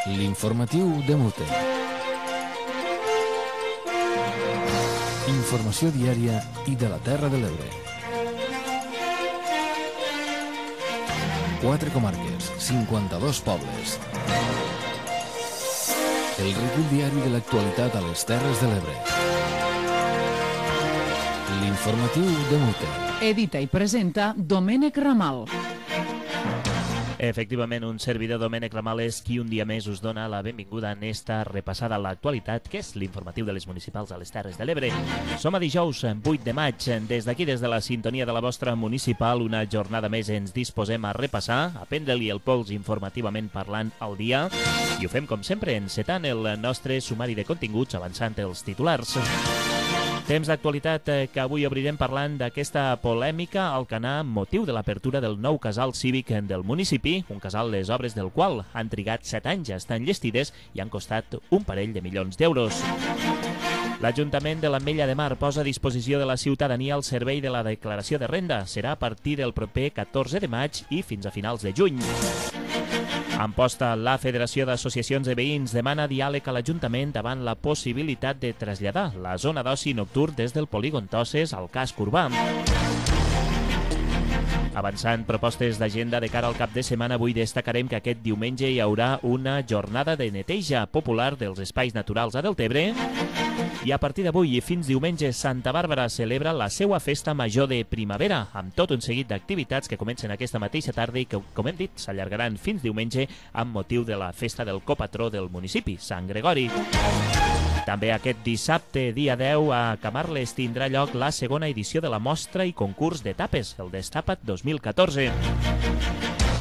L'informatiu de Mute. Informació diària i de la Terra de l'Ebre. 4 comarques, 52 pobles. El recull diari de l'actualitat a les Terres de l'Ebre. L'informatiu de Mute. Edita i presenta Domènec Ramal. Efectivament, un servidor, Domènec Ramal, és qui un dia més us dona la benvinguda en esta repassada a l'actualitat, que és l'informatiu de les municipals a les Terres de l'Ebre. Som a dijous 8 de maig. Des d'aquí, des de la sintonia de la vostra municipal, una jornada més ens disposem a repassar, a prendre-li el pols informativament parlant al dia, i ho fem, com sempre, encetant el nostre sumari de continguts, avançant els titulars. Temps d'actualitat que avui obrirem parlant d'aquesta polèmica al Alcanar amb motiu de l'apertura del nou casal cívic del municipi, un casal les obres del qual han trigat 7 anys a estar enllestides i han costat un parell de milions d'euros. L'Ajuntament de l'Ametlla de Mar posa a disposició de la ciutadania el servei de la declaració de renda. Serà a partir del proper 14 de maig i fins a finals de juny. Amposta, la Federació d'Associacions de Veïns demana diàleg a l'Ajuntament davant la possibilitat de traslladar la zona d'oci nocturn des del polígon Tosses al casc urbà. Avançant propostes d'agenda de cara al cap de setmana, avui destacarem que aquest diumenge hi haurà una jornada de neteja popular dels espais naturals a Deltebre. I a partir d'avui i fins diumenge, Santa Bàrbara celebra la seva festa major de primavera, amb tot un seguit d'activitats que comencen aquesta mateixa tarda i que, com hem dit, s'allargaran fins diumenge amb motiu de la festa del copatró del municipi, Sant Gregori. També aquest dissabte, dia 10, a Camarles tindrà lloc la segona edició de la mostra i concurs de tapes, el Destapa't 2014.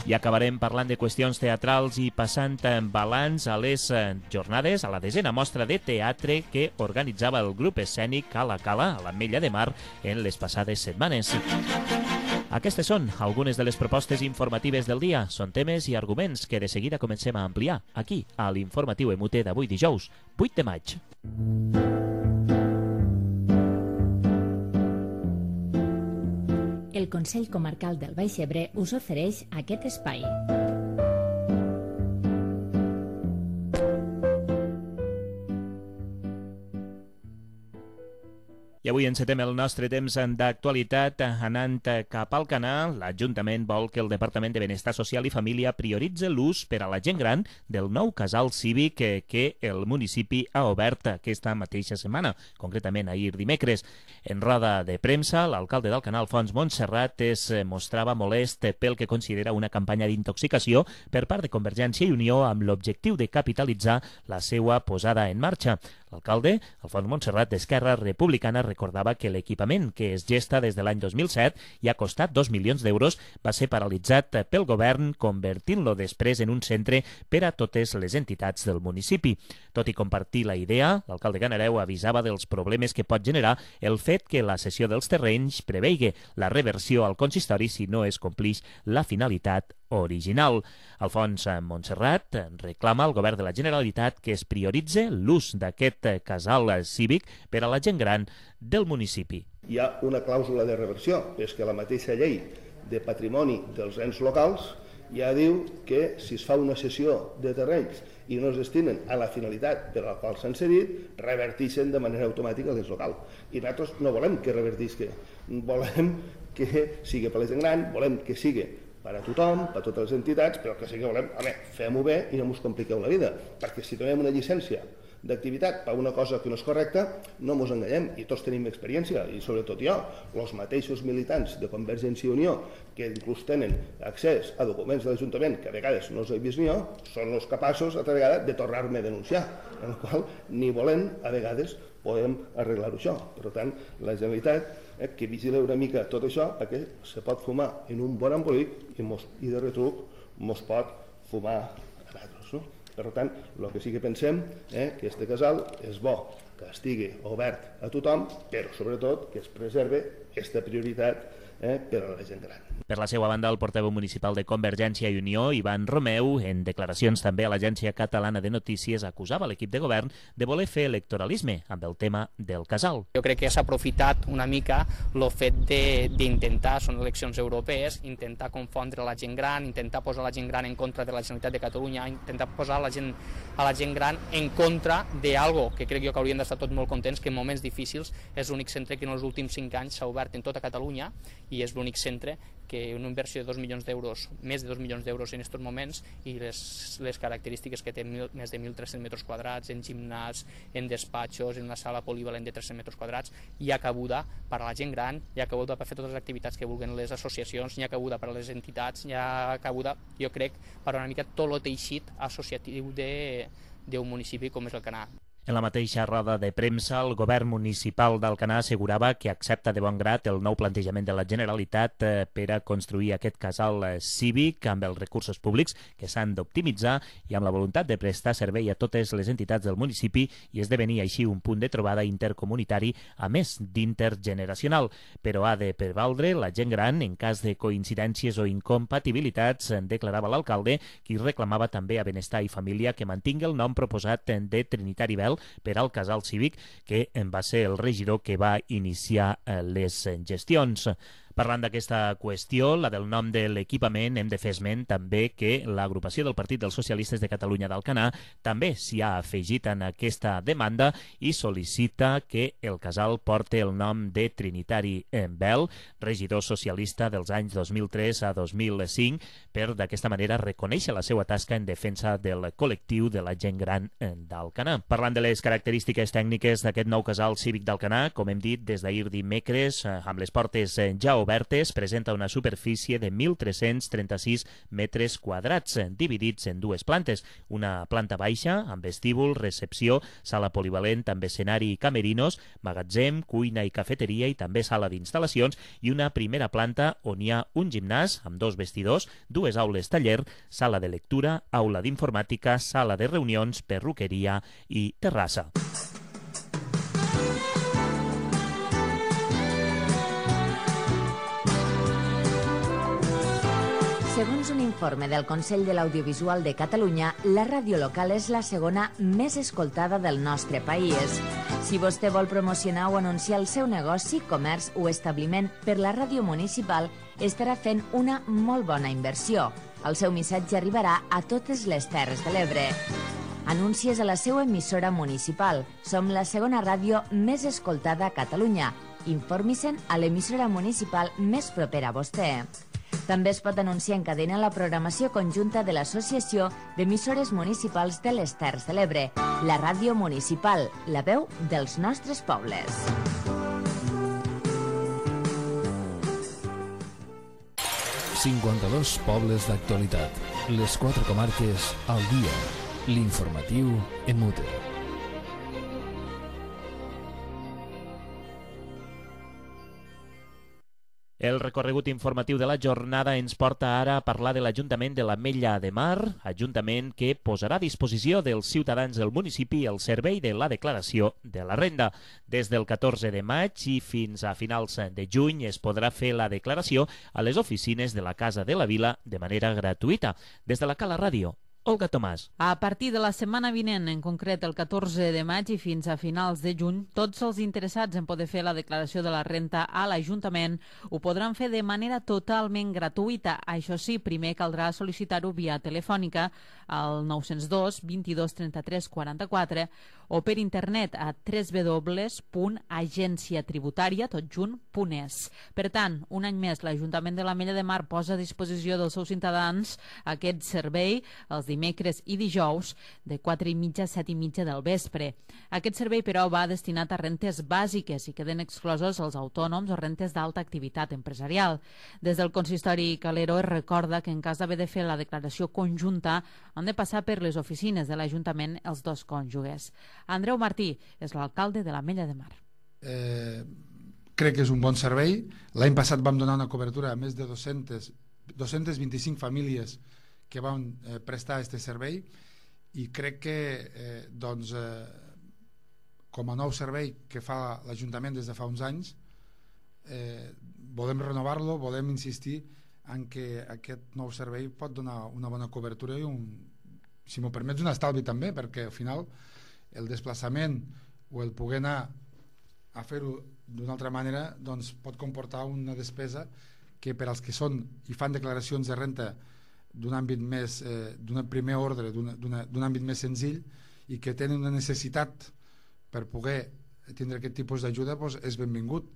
I acabarem parlant de qüestions teatrals i passant balanç a les jornades, a la 10a mostra de teatre que organitzava el grup escènic Cala Cala a l'Ametlla de Mar en les passades setmanes. Aquestes són algunes de les propostes informatives del dia. Són temes i arguments que de seguida comencem a ampliar aquí, a l'informatiu EMUTE d'avui dijous, 8 de maig. El Consell Comarcal del Baix Ebre us ofereix aquest espai. I avui encetem el nostre temps d'actualitat anant cap al Alcanar. L'Ajuntament vol que el Departament de Benestar Social i Família prioritzi l'ús per a la gent gran del nou casal cívic que el municipi ha obert aquesta mateixa setmana, concretament ahir dimecres. En roda de premsa, l'alcalde d'Alcanar, Alfons Montserrat, es mostrava molest pel que considera una campanya d'intoxicació per part de Convergència i Unió amb l'objectiu de capitalitzar la seva posada en marxa. L'alcalde, Alfons Montserrat, d'Esquerra Republicana, recordava que l'equipament que es gesta des de l'any 2007 i ha costat 2 milions d'euros va ser paralitzat pel govern, convertint-lo després en un centre per a totes les entitats del municipi. Tot i compartir la idea, l'alcalde Ganareu avisava dels problemes que pot generar el fet que la cessió dels terrenys preveigui la reversió al consistori si no es complix la finalitat original. Alfons Montserrat reclama al govern de la Generalitat que es prioritzi l'ús d'aquest casal cívic per a la gent gran del municipi. Hi ha una clàusula de reversió, és que la mateixa llei de patrimoni dels ens locals ja diu que si es fa una cessió de terrenys i no es destinen a la finalitat per a la qual s'han cedit, reverteixen de manera automàtica a l'ens local. I nosaltres no volem que revertisca, volem que sigui per a la gent gran, volem que sigui per a tothom, per a totes les entitats, però que sí que volem, fem-ho bé i no ens compliqueu la vida, perquè si tenim una llicència d'activitat per una cosa que no és correcta, no ens enganyem, i tots tenim experiència, i sobretot jo, els mateixos militants de Convergència i Unió, que inclús tenen accés a documents de l'Ajuntament, que a vegades no els he vist ni jo, són els capaços, altra vegada, de tornar-me a denunciar, en el qual ni volem, a vegades, podem arreglar-ho això. Per tant, la Generalitat que vigila una mica tot això perquè se pot fumar en un bon embolic i de retruc mos pot fumar a nosaltres. No? Per tant, el que sí que pensem que aquest casal és bo que estigui obert a tothom, però sobretot que es preserve aquesta prioritat per a la gent gran. Per la seva banda, el portaveu municipal de Convergència i Unió, Ivan Romeu, en declaracions també a l'Agència Catalana de Notícies, acusava l'equip de govern de voler fer electoralisme amb el tema del casal. Jo crec que s'ha aprofitat una mica el fet d'intentar, són eleccions europees, intentar confondre la gent gran, intentar posar la gent gran en contra de la Generalitat de Catalunya, intentar posar a la gent gran en contra d'algo que crec jo que haurien d'estar tots molt contents, que en moments difícils és l'únic centre que en els últims 5 anys s'ha obert en tota Catalunya i és l'únic centre que una inversió de 2 milions d'euros, més de 2 milions d'euros en aquests moments, i les característiques que té més de 1.300 metres quadrats, en gimnàs, en despatxos, en una sala polivalent de 300 metres quadrats, hi ha cabuda per a la gent gran, hi ha cabuda per fer totes les activitats que vulguin les associacions, hi ha cabuda per a les entitats, hi ha cabuda, jo crec, per una mica tot el teixit associatiu d'un municipi com és el Canà. En la mateixa roda de premsa, el govern municipal d'Alcanar assegurava que accepta de bon grat el nou plantejament de la Generalitat per a construir aquest casal cívic amb els recursos públics que s'han d'optimitzar i amb la voluntat de prestar servei a totes les entitats del municipi i esdevenir així un punt de trobada intercomunitari a més d'intergeneracional. Però ha de prevaldre la gent gran en cas de coincidències o incompatibilitats, declarava l'alcalde, qui reclamava també a Benestar i Família que mantingui el nom proposat de Trinitari Bel per al casal cívic, que va ser el regidor que va iniciar les gestions. Parlant d'aquesta qüestió, la del nom de l'equipament, hem de fer esment també que l'agrupació del Partit dels Socialistes de Catalunya d'Alcanar també s'hi ha afegit en aquesta demanda i sol·licita que el casal porti el nom de Trinitari Bel, regidor socialista dels anys 2003 a 2005, per d'aquesta manera reconèixer la seva tasca en defensa del col·lectiu de la gent gran d'Alcanar. Parlant de les característiques tècniques d'aquest nou casal cívic d'Alcanar, com hem dit des d'ahir dimecres, amb les portes ja obertes, presenta una superfície de 1.336 metres quadrats, dividits en 2 plantes. Una planta baixa, amb vestíbul, recepció, sala polivalent, amb escenari i camerinos, magatzem, cuina i cafeteria i també sala d'instal·lacions, i una primera planta on hi ha un gimnàs amb 2 vestidors, 2 aules taller, sala de lectura, aula d'informàtica, sala de reunions, perruqueria i terrassa. Segons un informe del Consell de l'Audiovisual de Catalunya, la ràdio local és la segona més escoltada del nostre país. Si vostè vol promocionar o anunciar el seu negoci, comerç o establiment per la ràdio municipal, estarà fent una molt bona inversió. El seu missatge arribarà a totes les Terres de l'Ebre. Anuncies a la seva emissora municipal. Som la segona ràdio més escoltada a Catalunya. Informi-se'n a l'emissora municipal més propera a vostè. També es pot anunciar en cadena la programació conjunta de l'Associació d'Emissores Municipals de les Terres de l'Ebre, la ràdio municipal, la veu dels nostres pobles. ...52 pobles d'actualitat. Les 4 comarques al dia. L'informatiu en Mute. El recorregut informatiu de la jornada ens porta ara a parlar de l'Ajuntament de l'Ametlla de Mar, ajuntament que posarà a disposició dels ciutadans del municipi el servei de la declaració de la renda. Des del 14 de maig i fins a finals de juny es podrà fer la declaració a les oficines de la Casa de la Vila de manera gratuïta. Des de la Cala Ràdio, Olga Tomàs. A partir de la setmana vinent, en concret el 14 de maig i fins a finals de juny, tots els interessats en poder fer la declaració de la renta a l'Ajuntament ho podran fer de manera totalment gratuïta. Això sí, primer caldrà sol·licitar-ho via telefònica al 902 22 33 44 o per internet a www.agenciatributaria.es. Per tant, un any més, l'Ajuntament de l'Ametlla de Mar posa a disposició dels seus ciutadans aquest servei els dimecres i dijous de 4:30 a 7:30 del vespre. Aquest servei, però, va destinat a rentes bàsiques i queden exclosos els autònoms o rentes d'alta activitat empresarial. Des del consistori Calero es recorda que en cas d'haver de fer la declaració conjunta han de passar per les oficines de l'Ajuntament els dos cònjuges. Andreu Martí és l'alcalde de l'Ametlla de Mar. Crec que és un bon servei. L'any passat vam donar una cobertura a més de 225 famílies que van prestar aquest servei i crec que com a nou servei que fa l'Ajuntament des de fa uns anys volem renovar-lo, volem insistir en que aquest nou servei pot donar una bona cobertura i si m'ho permets, un estalvi també, perquè al final el desplaçament o el poder anar a fer-ho d'una altra manera doncs pot comportar una despesa que per als que són i fan declaracions de renta d'un àmbit més d'un primer ordre, d'un àmbit més senzill i que tenen una necessitat per poder tindre aquest tipus d'ajuda, doncs és benvingut.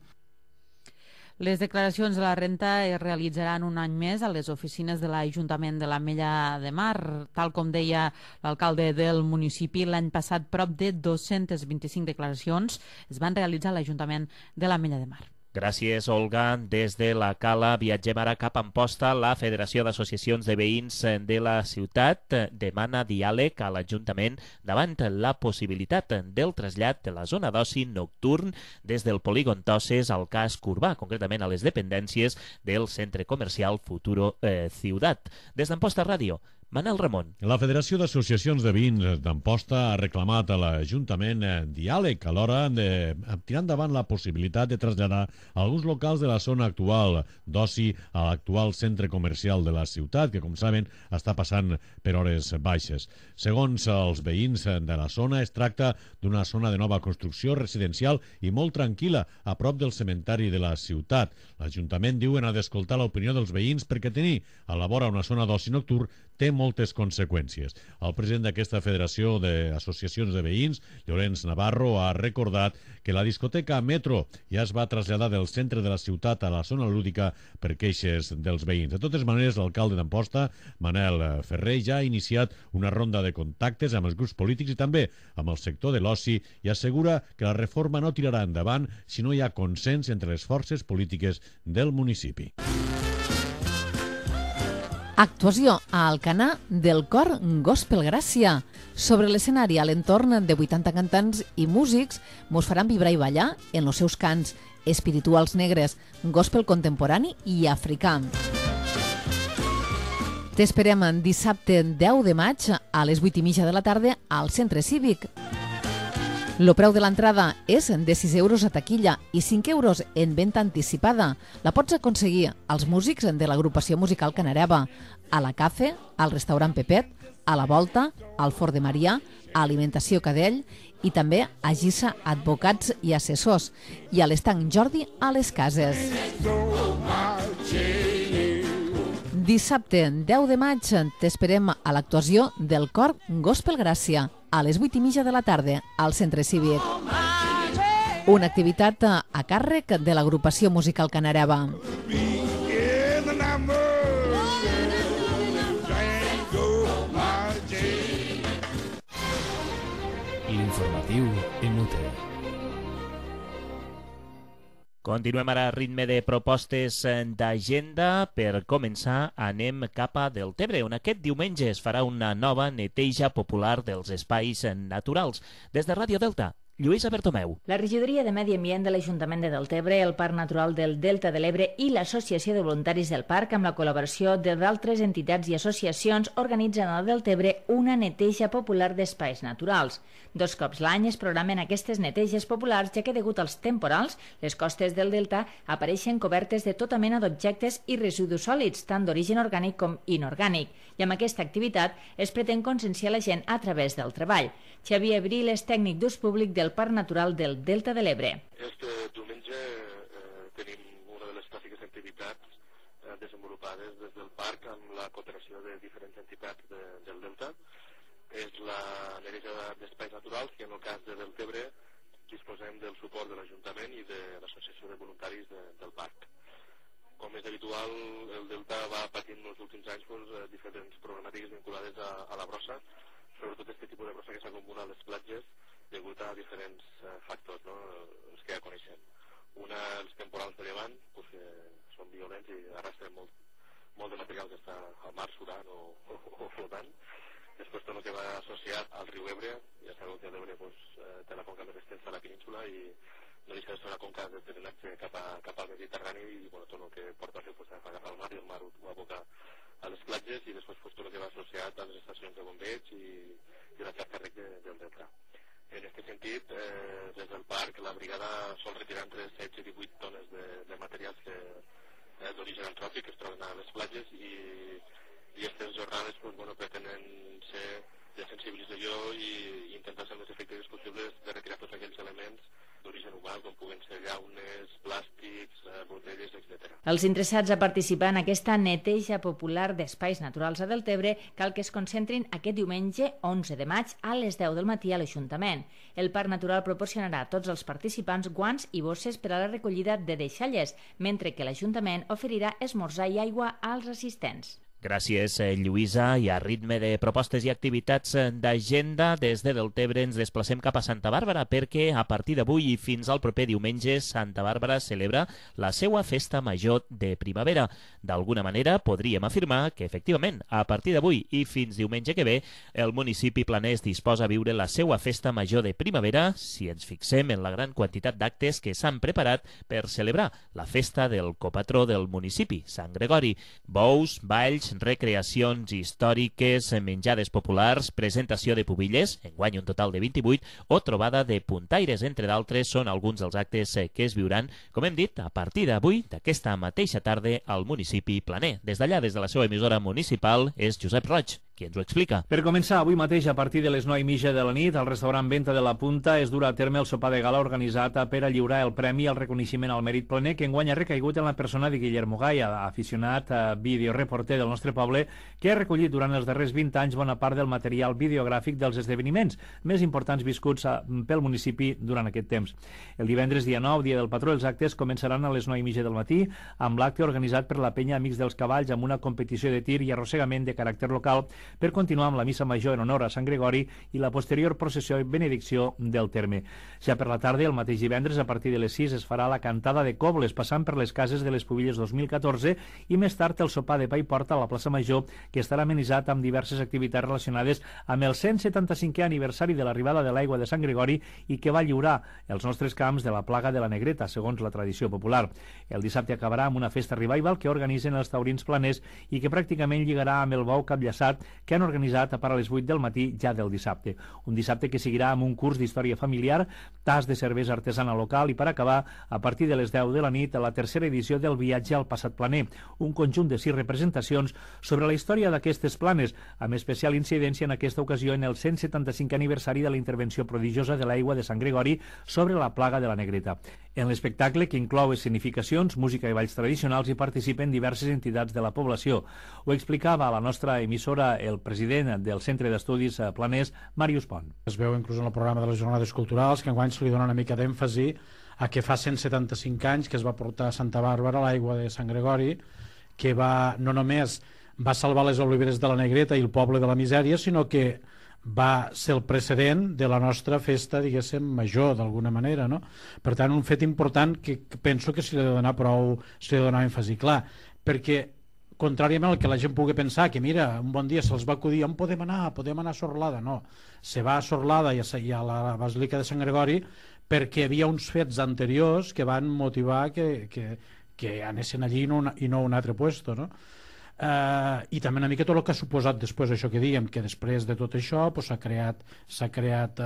Les declaracions de la renta es realitzaran un any més a les oficines de l'Ajuntament de l'Ametlla de Mar. Tal com deia l'alcalde del municipi, l'any passat prop de 225 declaracions es van realitzar a l'Ajuntament de l'Ametlla de Mar. Gràcies, Olga. Des de la Cala viatgem ara cap a Amposta. La Federació d'Associacions de Veïns de la ciutat demana diàleg a l'Ajuntament davant la possibilitat del trasllat de la zona d'oci nocturn des del polígon Toses al casc urbà, concretament a les dependències del centre comercial Futuro Ciutat. Des d'Amposta Ràdio, Manel Ramon. La Federació d'Associacions de Veïns d'Amposta ha reclamat a l'Ajuntament diàleg a l'hora de tirar endavant la possibilitat de traslladar alguns locals de la zona actual d'oci a l'actual centre comercial de la ciutat, que, com saben, està passant per hores baixes. Segons els veïns de la zona, es tracta d'una zona de nova construcció residencial i molt tranquil·la, a prop del cementari de la ciutat. L'Ajuntament diuen ha d'escoltar l'opinió dels veïns perquè tenir a la vora una zona d'oci nocturn té moltes conseqüències. El president d'aquesta Federació d'Associacions de Veïns, Llorenç Navarro, ha recordat que la discoteca Metro ja es va traslladar del centre de la ciutat a la zona lúdica per queixes dels veïns. De totes maneres, l'alcalde d'Amposta, Manel Ferrer, ja ha iniciat una ronda de contactes amb els grups polítics i també amb el sector de l'oci i assegura que la reforma no tirarà endavant si no hi ha consens entre les forces polítiques del municipi. Actuació a Alcanar del cor Gospel Gràcia. Sobre l'escenari, a l'entorn de 80 cantants i músics, mos faran vibrar i ballar en els seus cants espirituals negres, gospel contemporani i africà. T'esperem dissabte 10 de maig a les 8:30 de la tarda al Centre Cívic. El preu de l'entrada és de 6 euros a taquilla i 5 euros en venda anticipada. La pots aconseguir als músics de l'agrupació musical Canareva, a la Cafe, al restaurant Pepet, a la Volta, al Fort de Marià, a Alimentació Cadell i també a Gissa Advocats i Assessors i a l'Estanc Jordi a les Cases. Dissabte 10 de maig t'esperem a l'actuació del cor Gospel Gràcia a les 8:30 de la tarda al Centre Cívic. Una activitat a càrrec de l'agrupació musical Canareva. L'informatiu en UTE. Continuem ara a ritme de propostes d'agenda. Per començar, anem cap a Deltebre, on aquest diumenge es farà una nova neteja popular dels espais naturals. Des de Ràdio Delta, Lluïsa Bertomeu. La regidoria de Medi Ambient de l'Ajuntament de Deltebre, el Parc Natural del Delta de l'Ebre i l'Associació de Voluntaris del Parc, amb la col·laboració d'altres entitats i associacions, organitzen al Deltebre una neteja popular d'espais naturals. 2 cops l'any es programen aquestes neteges populars, ja que degut als temporals, les costes del Delta apareixen cobertes de tota mena d'objectes i residus sòlids, tant d'origen orgànic com inorgànic. I amb aquesta activitat es pretén conscienciar la gent a través del treball. Xavier Abril és tècnic d'ús públic del Parc Natural del Delta de l'Ebre. Este diumenge tenim una de les clàssiques activitats desenvolupades des del parc amb la cooperació de diferents entitats del Delta. És la neteja d'espais naturals, que en el cas de Deltebre disposem del suport de l'Ajuntament i de l'Associació de Voluntaris del parc. Com és habitual, el Delta va patint en els últims anys diferents problemàtiques vinculades a la brossa, sobretot aquest tipus de brossa que s'acumula a les platges degut a diferents factors, els que ja coneixem. Els temporals de llevant, que són violents i arrastren molt de material que està al mar surant o flotant. Després tot el que va associat al riu Ebre, ja sabeu que l'Ebre té la conca més extensa a la península i no deixa de ser una conca de drenatge cap al Mediterrani i tot el que porta a fer agafar el mar i el mar ho aboca a les platges i després tot el que va associat a les estacions de bombeig i la xarxa rec del Delta. En aquest sentit, des del parc, la brigada sol retirar entre 16 i 18 tones de materials d'origen antròpic que es troben a les platges i aquestes jornades pretenen ser de sensibilització i intentar ser el més efectives possibles de retirar tots aquells elements d'origen humà, com puguen ser llaunes, plàstics, botelles, etc. Els interessats a participar en aquesta neteja popular d'espais naturals a Deltebre cal que es concentrin aquest diumenge 11 de maig a les 10 del matí a l'Ajuntament. El Parc Natural proporcionarà a tots els participants guants i bosses per a la recollida de deixalles, mentre que l'Ajuntament oferirà esmorzar i aigua als assistents. Gràcies, Lluïsa. I a ritme de propostes i activitats d'agenda, des de Deltebre ens desplacem cap a Santa Bàrbara perquè a partir d'avui i fins al proper diumenge Santa Bàrbara celebra la seva festa major de primavera. D'alguna manera podríem afirmar que efectivament a partir d'avui i fins diumenge que ve el municipi planès disposa a viure la seva festa major de primavera si ens fixem en la gran quantitat d'actes que s'han preparat per celebrar la festa del copatró del municipi, Sant Gregori. Bous, balls, recreacions històriques, menjades populars, presentació de pubilles, enguany un total de 28, o trobada de puntaires, entre d'altres, són alguns dels actes que es viuran, com hem dit, a partir d'avui, d'aquesta mateixa tarda, al municipi planer. Des d'allà, des de la seva emissora municipal, és Josep Roig, qui ens ho explica. Per començar, avui mateix, a partir de les 9:30 de la nit, al restaurant Venta de la Punta es durà a terme el sopar de gala organitzat per a lliurar el premi al reconeixement al mèrit planer, que enguany ha recaigut en la persona de Guillermo Gaia, aficionat videoreporter del nostre poble, que ha recollit durant els darrers 20 anys bona part del material videogràfic dels esdeveniments més importants viscuts pel municipi durant aquest temps. El divendres, dia 9, dia del patró, els actes començaran a les 9:30 del matí, amb l'acte organitzat per la penya Amics dels Cavalls amb una competició de tir i arrossegament de caràcter local per continuar amb la missa major en honor a Sant Gregori i la posterior processió i benedicció del terme. Ja per la tarda, el mateix divendres, a partir de les 6, es farà la cantada de cobles, passant per les cases de les Pubilles 2014 i més tard el sopar de pa i porta a la plaça Major, que estarà amenitzat amb diverses activitats relacionades amb el 175è aniversari de l'arribada de l'aigua de Sant Gregori i que va lliurar els nostres camps de la plaga de la Negreta, segons la tradició popular. El dissabte acabarà amb una festa revival que organitzen els taurins planers i que pràcticament lligarà amb el bou capllaçat que han organitzat a les 8 del matí ja del dissabte. Un dissabte que seguirà amb un curs d'història familiar, tas de cervesa artesana local i, per acabar, a partir de les 10 de la nit, la tercera edició del Viatge al Passat Planer, un conjunt de 6 representacions sobre la història d'aquestes planes, amb especial incidència en aquesta ocasió en el 175è aniversari de la intervenció prodigiosa de l'aigua de Sant Gregori sobre la plaga de la Negreta. En l'espectacle, que inclou escenificacions, música i balls tradicionals, hi participen diverses entitats de la població. Ho explicava a la nostra emissora el president del Centre d'Estudis Planers, Màrius Pont. Es veu inclús en el programa de les jornades culturals que enguany se li dona una mica d'èmfasi a que fa 175 anys que es va portar a Santa Bàrbara l'aigua de Sant Gregori, que no només va salvar les oliveres de la Negreta i el poble de la misèria, sinó que va ser el precedent de la nostra festa, diguéssim, major, d'alguna manera, no? Per tant, un fet important que penso que s'hi ha de donar èmfasi, clar, perquè contràriament al que la gent pugui pensar, que mira, un bon dia se'ls va acudir, on podem anar a Sorlada? No, se va a Sorlada i a la Basílica de Sant Gregori perquè hi havia uns fets anteriors que van motivar que anessin allí i no a un altre puesto, no? I també una mica tot el que ha suposat després això que dèiem, que després de tot això s'ha creat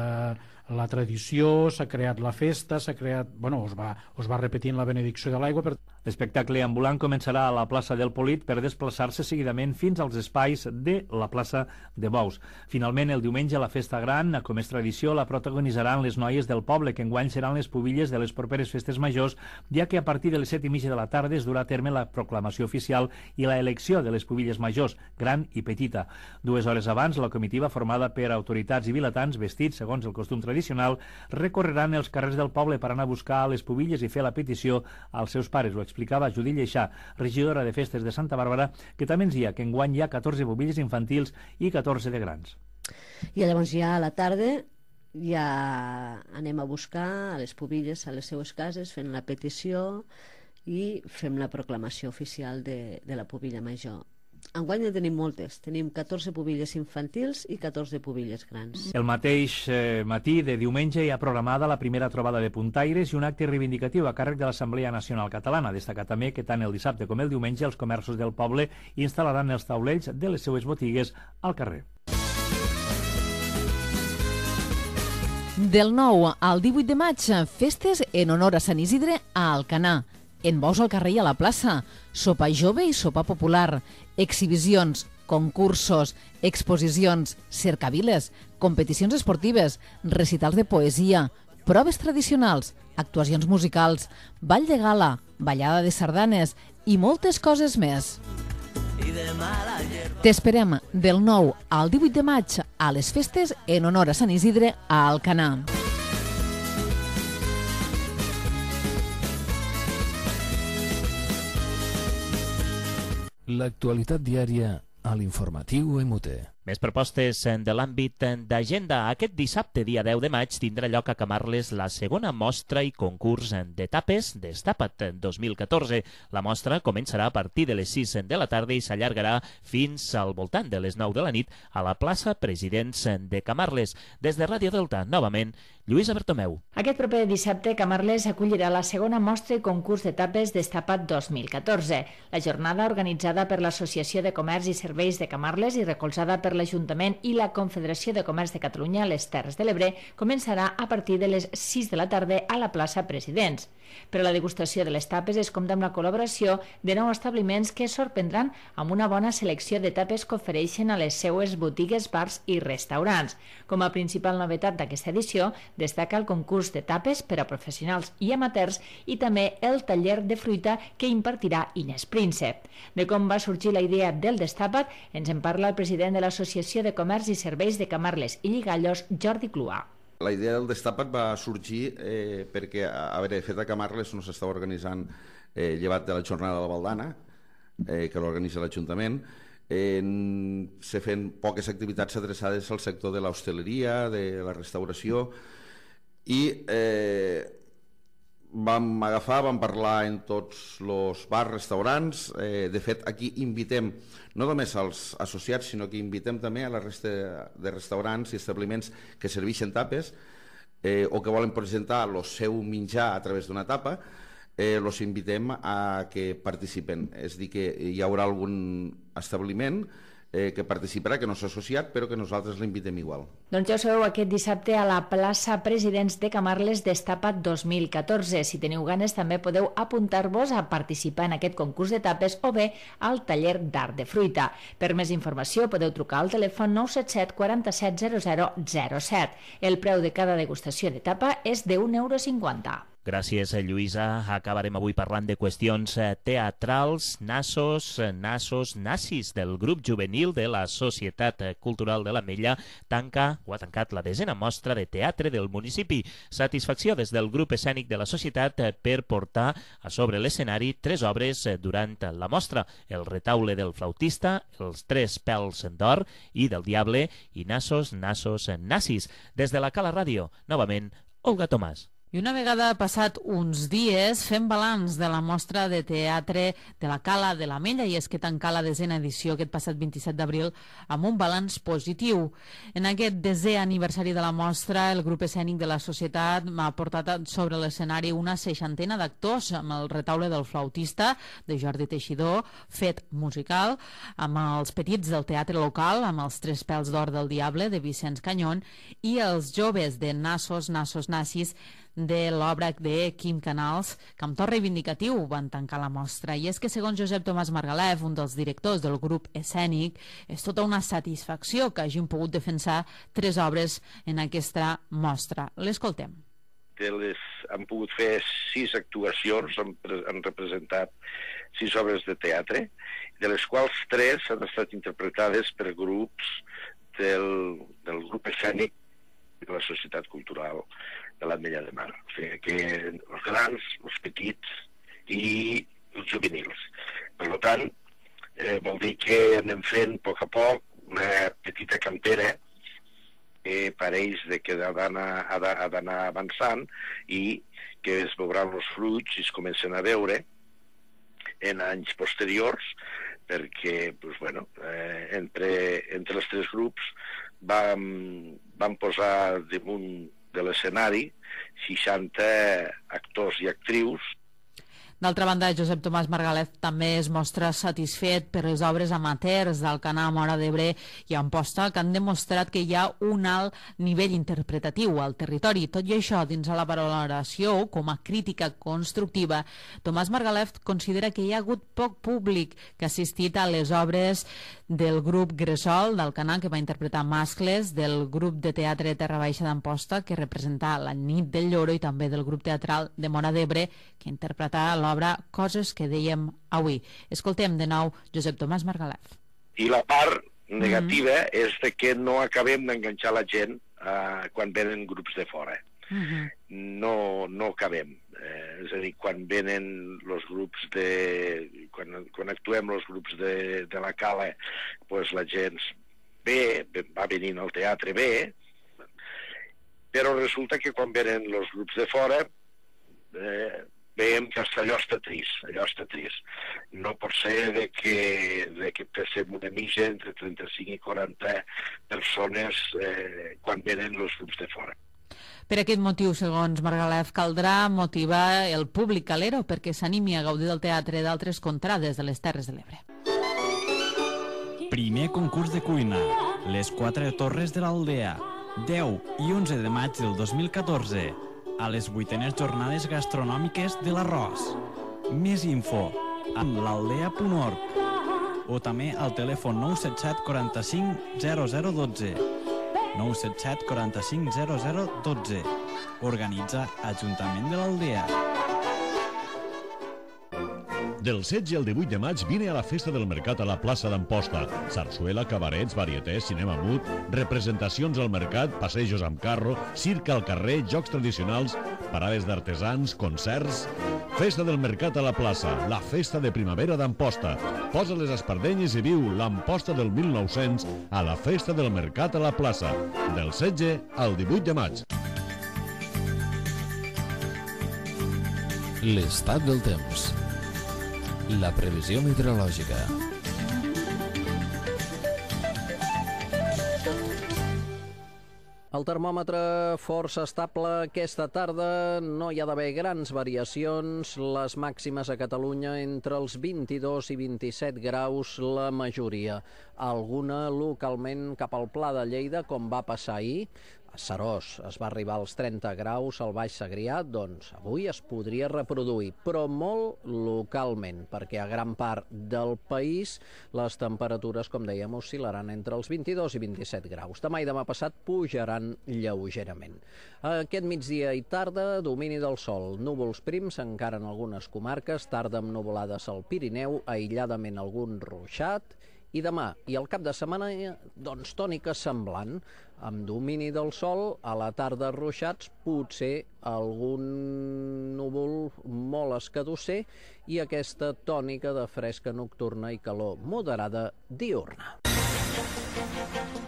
la tradició, s'ha creat la festa, es va repetint la benedicció de l'aigua. L'espectacle ambulant començarà a la plaça del Polit per desplaçar-se seguidament fins als espais de la plaça de Bous. Finalment, el diumenge, la festa gran, com és tradició, la protagonitzaran les noies del poble, que enguany seran les pubilles de les properes festes majors, ja que a partir de les 7:30 de la tarda es durà a terme la proclamació oficial i la elecció de les pubilles majors, gran i petita. 2 hores abans, la comitiva, formada per autoritats i vilatans vestits segons el costum tradicional, recorreran els carrers del poble per anar a buscar les pubilles i fer la petició als seus pares. Ho explicava Judit Lleixà, regidora de festes de Santa Bàrbara, que també ens dia que enguany hi ha 14 pubilles infantils i 14 de grans. I llavors ja a la tarda ja anem a buscar a les pubilles a les seues cases, fent la petició i fem la proclamació oficial de la pubilla major. Enguany en tenim moltes, tenim 14 pubilles infantils i 14 pubilles grans. El mateix matí de diumenge hi ha programada la primera trobada de puntaires i un acte reivindicatiu a càrrec de l'Assemblea Nacional Catalana. Destacar també que tant el dissabte com el diumenge els comerços del poble instal·laran els taulells de les seues botigues al carrer. Del 9 al 18 de maig, festes en honor a Sant Isidre a Alcanar. En bous al carrer i a la plaça, sopar jove i sopar popular, exhibicions, concursos, exposicions, cercaviles, competicions esportives, recitals de poesia, proves tradicionals, actuacions musicals, ball de gala, ballada de sardanes i moltes coses més. T'esperem del 9 al 18 de maig a les festes en honor a Sant Isidre a Alcanar. L'actualitat diària a l'informatiu MUT. Més propostes de l'àmbit d'agenda. Aquest dissabte, dia 10 de maig, tindrà lloc a Camarles la segona mostra i concurs de tapes Destapa't 2014. La mostra començarà a partir de les 6 de la tarda i s'allargarà fins al voltant de les 9 de la nit a la plaça Presidents de Camarles. Des de Ràdio Delta, novament, Lluïsa Bertomeu. Aquest proper dissabte, Camarles acollirà la segona mostra i concurs de tapes Destapa't 2014. La jornada, organitzada per l'Associació de Comerç i Serveis de Camarles i recolzada per l'Ajuntament i la Confederació de Comerç de Catalunya a les Terres de l'Ebre, començarà a partir de les 6 de la tarda a la plaça Presidents. Per a la degustació de les tapes es compta amb la col·laboració de 9 establiments que sorprendran amb una bona selecció de tapes que ofereixen a les seues botigues, bars i restaurants. Com a principal novetat d'aquesta edició, destaca el concurs de tapes per a professionals i amateurs i també el taller de fruita que impartirà Inés Príncep. De com va sorgir la idea del Destapa't ens en parla el president de l'Associació de Comerç i Serveis de Camarles i Lligallos, Jordi Cluà. La idea del Destapa't va sorgir perquè, a veure, de fet a Camarles no s'estava organitzant, llevat de la jornada de la Baldana, que l'organitza l'Ajuntament, se feien poques activitats adreçades al sector de l'hostaleria, de la restauració, i vam agafar, vam parlar en tots els bars, restaurants. De fet, aquí invitem no només als associats, sinó que invitem també a la resta de restaurants i establiments que serveixen tapes o que volen presentar el seu menjar a través d'una tapa. Els invitem a que participen. És a dir, que hi haurà algun establiment que participarà, que no s'ha associat, però que nosaltres l'invitem igual. Doncs ja ho sabeu, aquest dissabte a la plaça Presidents de Camarles Destapa't 2014. Si teniu ganes també podeu apuntar-vos a participar en aquest concurs de tapes o bé al taller d'art de fruita. Per més informació podeu trucar al telèfon 977 47 0007. El preu de cada degustació de tapa és de €1,50. Gràcies, Lluïsa. Acabarem avui parlant de qüestions teatrals. Nassos, Nassis, del grup juvenil de la Societat Cultural de l'Ametlla, ha tancat la 10a mostra de teatre del municipi. Satisfacció des del grup escènic de la societat per portar a sobre l'escenari 3 obres durant la mostra: El retaule del flautista, Els 3 pèls d'or i del diable i Nassos, Nassis. Des de la Cala Ràdio, novament, Olga Tomàs. I una vegada passat uns dies fem balanç de la mostra de teatre de la Cala de l'Ametlla, i és que tancà la 10a edició aquest passat 27 d'abril amb un balanç positiu. En aquest 10è aniversari de la mostra, el grup escènic de la societat ha portat sobre l'escenari una 60a d'actors, amb el retaule del flautista de Jordi Teixidor, fet musical, amb els petits del teatre local, amb els 3 pèls d'or del diable de Vicenç Canyón, i els joves de Nassos, Nassis, de l'obra de Quim Canals, que amb to reivindicatiu van tancar la mostra. I és que, segons Josep Tomàs Margalef, un dels directors del grup escènic, és tota una satisfacció que hagin pogut defensar 3 obres en aquesta mostra. L'escoltem. Han pogut fer 6 actuacions, han representat 6 obres de teatre, de les quals 3 han estat interpretades per grups del grup escènic de la Societat Cultural de l'Ametlla de Mar. O sigui que els grans, els petits i els juvenils. Per tant, vol dir que anem fent a poc una petita cantera que pareix que ha d'anar avançant i que es veuran els fruits i es comencen a veure en anys posteriors, perquè entre els 3 grups vam posar damunt de l'escenari 60 actors i actrius. D'altra banda, Josep Tomàs Margalef també es mostra satisfet per les obres amateurs d'Alcanar, Móra d'Ebre i Amposta, que han demostrat que hi ha un alt nivell interpretatiu al territori. Tot i això, dins de la valoració, com a crítica constructiva, Tomàs Margalef considera que hi ha hagut poc públic que ha assistit a les obres del grup Gresol d'Alcanar, que va interpretar Mascles, del grup de teatre Terra Baixa d'Amposta, que representa La nit del lloro, i també del grup teatral de Móra d'Ebre, que interpretarà l'obra Coses que dèiem avui. Escoltem de nou Josep Tomàs Margalef. I la part negativa és de que no acabem d'enganxar la gent quan venen grups de fora. No acabem. És a dir, quan venen els grups de... Quan actuem els grups de la Cala, doncs la gent va venint al teatre bé, però resulta que quan venen els grups de fora veiem que allò està trist. No pot ser que passem una mitja entre 35 i 40 persones quan venen els grups de fora. Per aquest motiu, segons Margalef, caldrà motivar el públic calero perquè s'animi a gaudir del teatre d'altres contrades de les Terres de l'Ebre. Primer concurs de cuina, les 4 torres de l'Aldea, 10 i 11 de maig del 2014, a les 8enes jornades gastronòmiques de l'Arròs. Més info amb l'aldea.org o també al telèfon 977 45 0012. 977 45 0012. Organitza Ajuntament de l'Aldea. Del 16 al 18 de maig vine a la Festa del Mercat a la plaça d'Amposta. Sarsuela, cabarets, varietés, cinema mut, representacions al mercat, passejos amb carro, circ al carrer, jocs tradicionals, parades d'artesans, concerts... Festa del Mercat a la plaça, la festa de primavera d'Amposta. Posa les espardenyes i viu l'Amposta del 1900 a la Festa del Mercat a la plaça, del 16 al 18 de maig. L'estat del temps. La previsió meteorològica. El termòmetre força estable aquesta tarda, no hi ha d'haver grans variacions, les màximes a Catalunya entre els 22 i 27 graus la majoria. Alguna localment cap al Pla de Lleida, com va passar ahir. A Seròs es va arribar als 30 graus, al Baix Segrià, doncs avui es podria reproduir, però molt localment, perquè a gran part del país les temperatures, com dèiem, oscil·laran entre els 22 i 27 graus. Demà i demà passat pujaran lleugerament. Aquest migdia i tarda, domini del sol, núvols prims encara en algunes comarques, tarda amb nuvolades al Pirineu, aïlladament algun ruixat, i demà i el cap de setmana, doncs, tònica semblant, amb domini del sol, a la tarda ruixats, potser algun núvol molt escadusser i aquesta tònica de fresca nocturna i calor moderada diurna.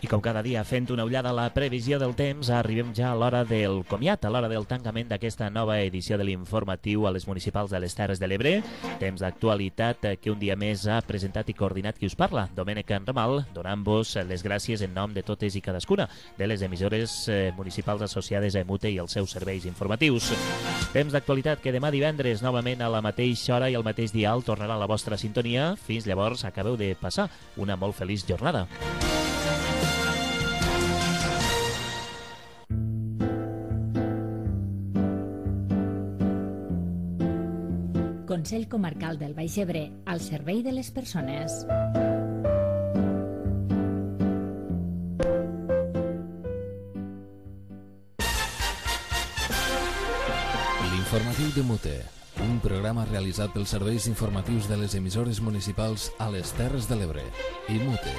I com cada dia, fent una ullada a la previsió del temps, arribem ja a l'hora del comiat, a l'hora del tancament d'aquesta nova edició de l'informatiu a les municipals de les Terres de l'Ebre. Temps d'actualitat que un dia més ha presentat i coordinat qui us parla, Domènec Enramal, donant-vos les gràcies en nom de totes i cadascuna de les emissores municipals associades a EMUTE i els seus serveis informatius. Temps d'actualitat que demà divendres, novament a la mateixa hora i al mateix dial, tornarà a la vostra sintonia. Fins llavors, acabeu de passar una molt feliç jornada. Consell Comarcal del Baix Ebre, al servei de les persones. L'informatiu de Mute, un programa realitzat pels serveis informatius de les emissores municipals a les Terres de l'Ebre i Mute.